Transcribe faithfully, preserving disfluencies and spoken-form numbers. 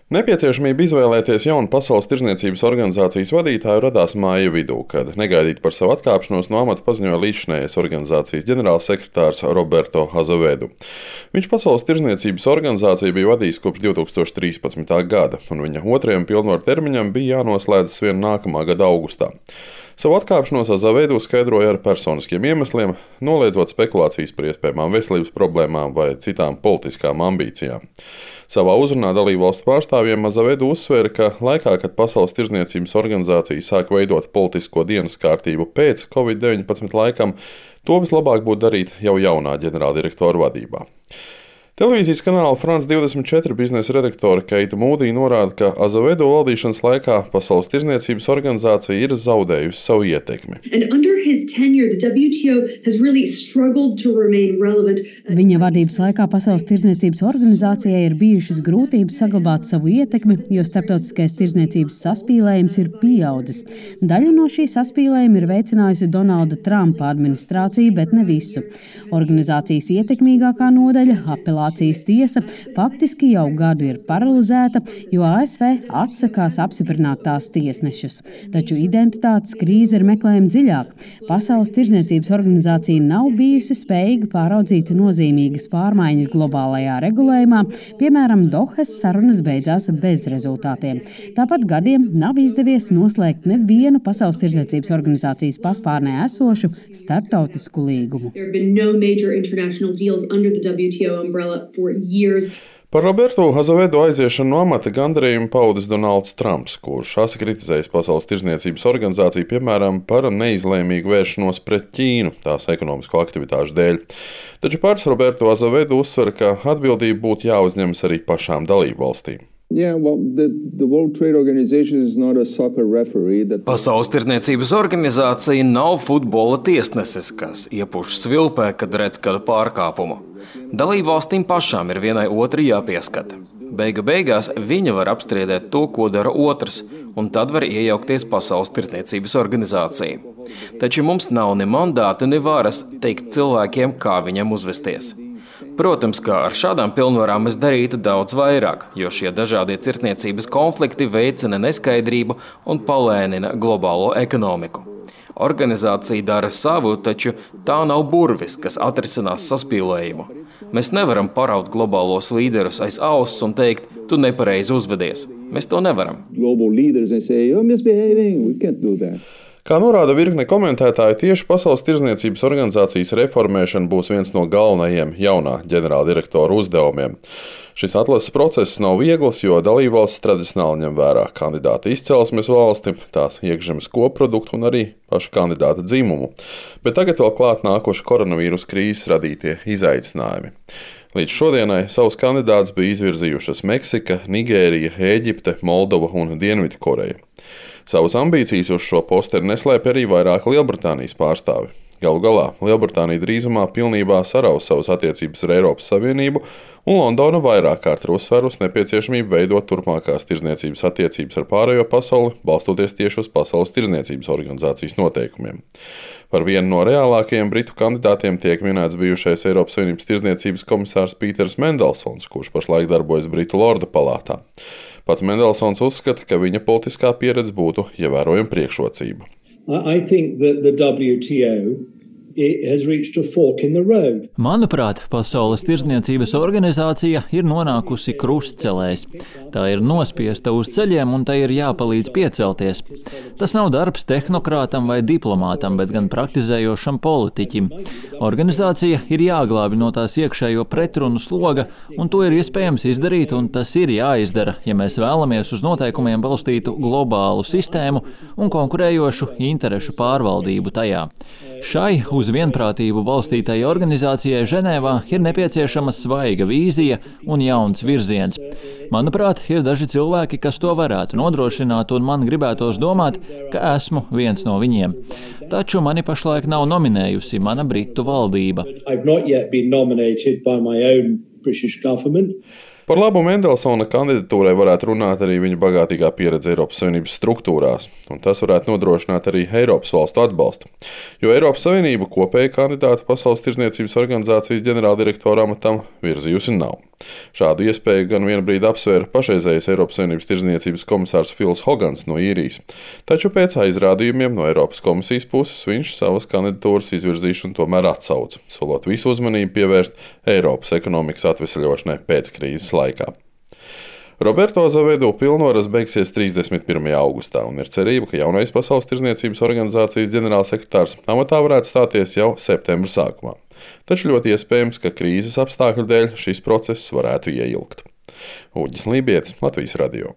Nepieciešamība izvēlēties jaunu Pasaules tirdzniecības organizācijas vadītāju radās māja vidū, kad negaidīti par savu atkāpšanos no amata paziņoja līdzinājais organizācijas ģenerālsekretārs Roberto Azevedo. Viņš Pasaules tirdzniecības organizāciju bija vadījis kopš divi tūkstoši trīspadsmitā gada, un viņa otrajam pilnvaru termiņam bija jānoslēdzas vien nākamā gada augustā. Savu atkāpšanos Azevedo skaidroja ar personiskiem iemesliem, noliedzot spekulācijas par iespējamām veselības problēmām vai citām politiskām ambīcijām. Savā uzrunā dalībvalstu pārstāvjiem Azevedo uzsvēra, ka laikā, kad Pasaules tirdzniecības organizācija sāk veidot politisko dienas kārtību pēc covid deviņpadsmit laikam, to vislabāk būtu darīt jau jaunā ģenerāldirektora vadībā. Televīzijas kanāla France divdesmit četri biznesa redaktore Keita Mūdī norāda, ka Azevedo valdīšanas laikā Pasaules tirdzniecības organizācija ir zaudējusi savu ietekmi. Viņa vadības laikā Pasaules tirdzniecības organizācijai ir bijušas grūtības saglabāt savu ietekmi, jo starptautiskais tirdzniecības saspīlējums ir pieaudzis. Daļu no šī saspīlējuma ir veicinājusi Donalda Trumpa administrācija, bet ne visu. Organizācijas ietekmīgākā nodaļa, apelācijas tiesa, faktiski jau gadu ir paralizēta, jo A S V atsakās apstiprināt tās tiesnešus. Taču identitātes krīze ir meklējama dziļāk. Pasaules tirdzniecības organizācija nav bijusi spējīga pāraudzīt nozīmīgas pārmaiņas globālajā regulējumā, piemēram, Dohas sarunas beidzās bez rezultātiem. Tāpat gadiem nav izdevies noslēgt nevienu Pasaules tirdzniecības organizācijas paspārnē esošu starptautisku līgumu. Par Roberto Azevedo aiziešanu no amata gandarījumu paudis Donalds Trumps, kurš asi kritizējis Pasaules tirdzniecības organizāciju, piemēram, par neizlēmīgu vēršanos pret Ķīnu tās ekonomisko aktivitāšu dēļ. Taču pats Roberto Azevedo uzsver, ka atbildība būtu jāuzņemas arī pašām dalībvalstīm. Yeah, well, the, the World Trade Organization is not a soccer referee. That... Pasaules tirdzniecības organizācija nav futbola tiesnesis, kas iepuš svilpē, kad redz kādu pārkāpumu. Dalībvalstīm pašām ir vienai otrai jāpieskata. Beigu beigās viņa var apstrīdēt to, ko dara otrs, un tad var iejaukties Pasaules tirdzniecības organizācija. Taču mums nav ne mandāta, ne varas teikt cilvēkiem, kā viņam uzvesties. Protams, ka ar šādām pilnvarām es darītu daudz vairāk, jo šie dažādie tirdzniecības konflikti veicina neskaidrību un palēnina globālo ekonomiku. Organizācija dara savu, taču tā nav burvis, kas atrisinās saspīlējumu. Mēs nevaram paraut globālos līderus aiz auss un teikt, tu nepareizi uzvedies. Mēs to nevaram. Kā norāda virkne komentētāji, tieši Pasaules tirdzniecības organizācijas reformēšana būs viens no galvenajiem jaunā ģenerāldirektora uzdevumiem. Šis atlases process nav viegls, jo dalībvalstis tradicionāli ņem vērā kandidāta izcelsmes valsti, tās iekšzemes koproduktu un arī pašu kandidāta dzimumu. Bet tagad vēl klāt nākoši koronavīrus krīzes radītie izaicinājumi. Līdz šodienai savus kandidātus bija izvirzījušas Meksika, Nigērija, Ēģipte, Moldova un Dienvidkoreja. Savas ambīcijas uz šo posteri neslēpj arī vairāk Lielbritānijas pārstāvi. Galu galā Lielbritānija drīzumā pilnībā saraus savas attiecības ar Eiropas Savienību, un Londona vairāk kārt ir uzsvērusi nepieciešamību veidot turpmākās tirdzniecības attiecības ar pārējo pasauli, balstoties tieši uz Pasaules tirdzniecības organizācijas noteikumiem. Par vienu no reālākajiem britu kandidātiem tiek minēts bijušais Eiropas Savienības tirdzniecības komisārs Pīters Mendelsons, kurš pašlaik darbojas Britu Lordu palātā. Pats Mendelsons uzskata, ka viņa politiskā pieredze būtu ievērojama priekšrocība. I think that the W T O has reached a fork in the road. Manuprāt, Pasaules tirdzniecības organizācija ir nonākusi krustcelēs. Tā ir nospiesta uz ceļiem un tai ir jāpalīdz piecelties. Tas nav darbs tehnokrātam vai diplomātam, bet gan praktizējošam politiķim. Organizācija ir jāglābi no tās iekšējo pretrunu sloga, un to ir iespējams izdarīt, un tas ir jāizdara, ja mēs vēlamies uz noteikumiem balstītu globālu sistēmu un konkurējošu interešu pārvaldību tajā. Šai uz vienprātību balstītai organizācijai Ženēvā ir nepieciešama svaiga vīzija un jauns virziens. Manuprāt, ir daži cilvēki, kas to varētu nodrošināt, un man gribētos domāt, ka esmu viens no viņiem. Taču mani pašlaik nav nominējusi mana Britu valdība. Par labu Mendelsona kandidatūrai varētu runāt arī viņa bagātīgā pieredze Eiropas Savienības struktūrās, un tas varētu nodrošināt arī Eiropas valstu atbalstu. Jo Eiropas Savienība kopēja kandidātu Pasaules tirdzniecības organizācijas ģenerāldirektora amatam virzījusi nav. Šādu iespēju gan vienu brīdi apsvēra pašreizējais Eiropas Savienības tirdzniecības komisārs Fils Hogans no Īrijas, taču pēc aizrādījumiem no Eiropas komisijas puses viņš savas kandidatūras izvirzīšanu tomēr atsauca, solot visu uzmanību pievērst Eiropas ekonomikas atvesaļošanai pēc krīzes laikā. Roberto Azevedo pilnvaras beigsies trīsdesmit pirmajā augustā, un ir cerība, ka jaunais Pasaules tirdzniecības organizācijas ģenerālsekretārs amatā varētu stāties jau septembra sākumā. Taču ļoti iespējams, ka krīzes apstākļu dēļ šis process varētu ieilgt. Uģis Lībietis, Latvijas radio.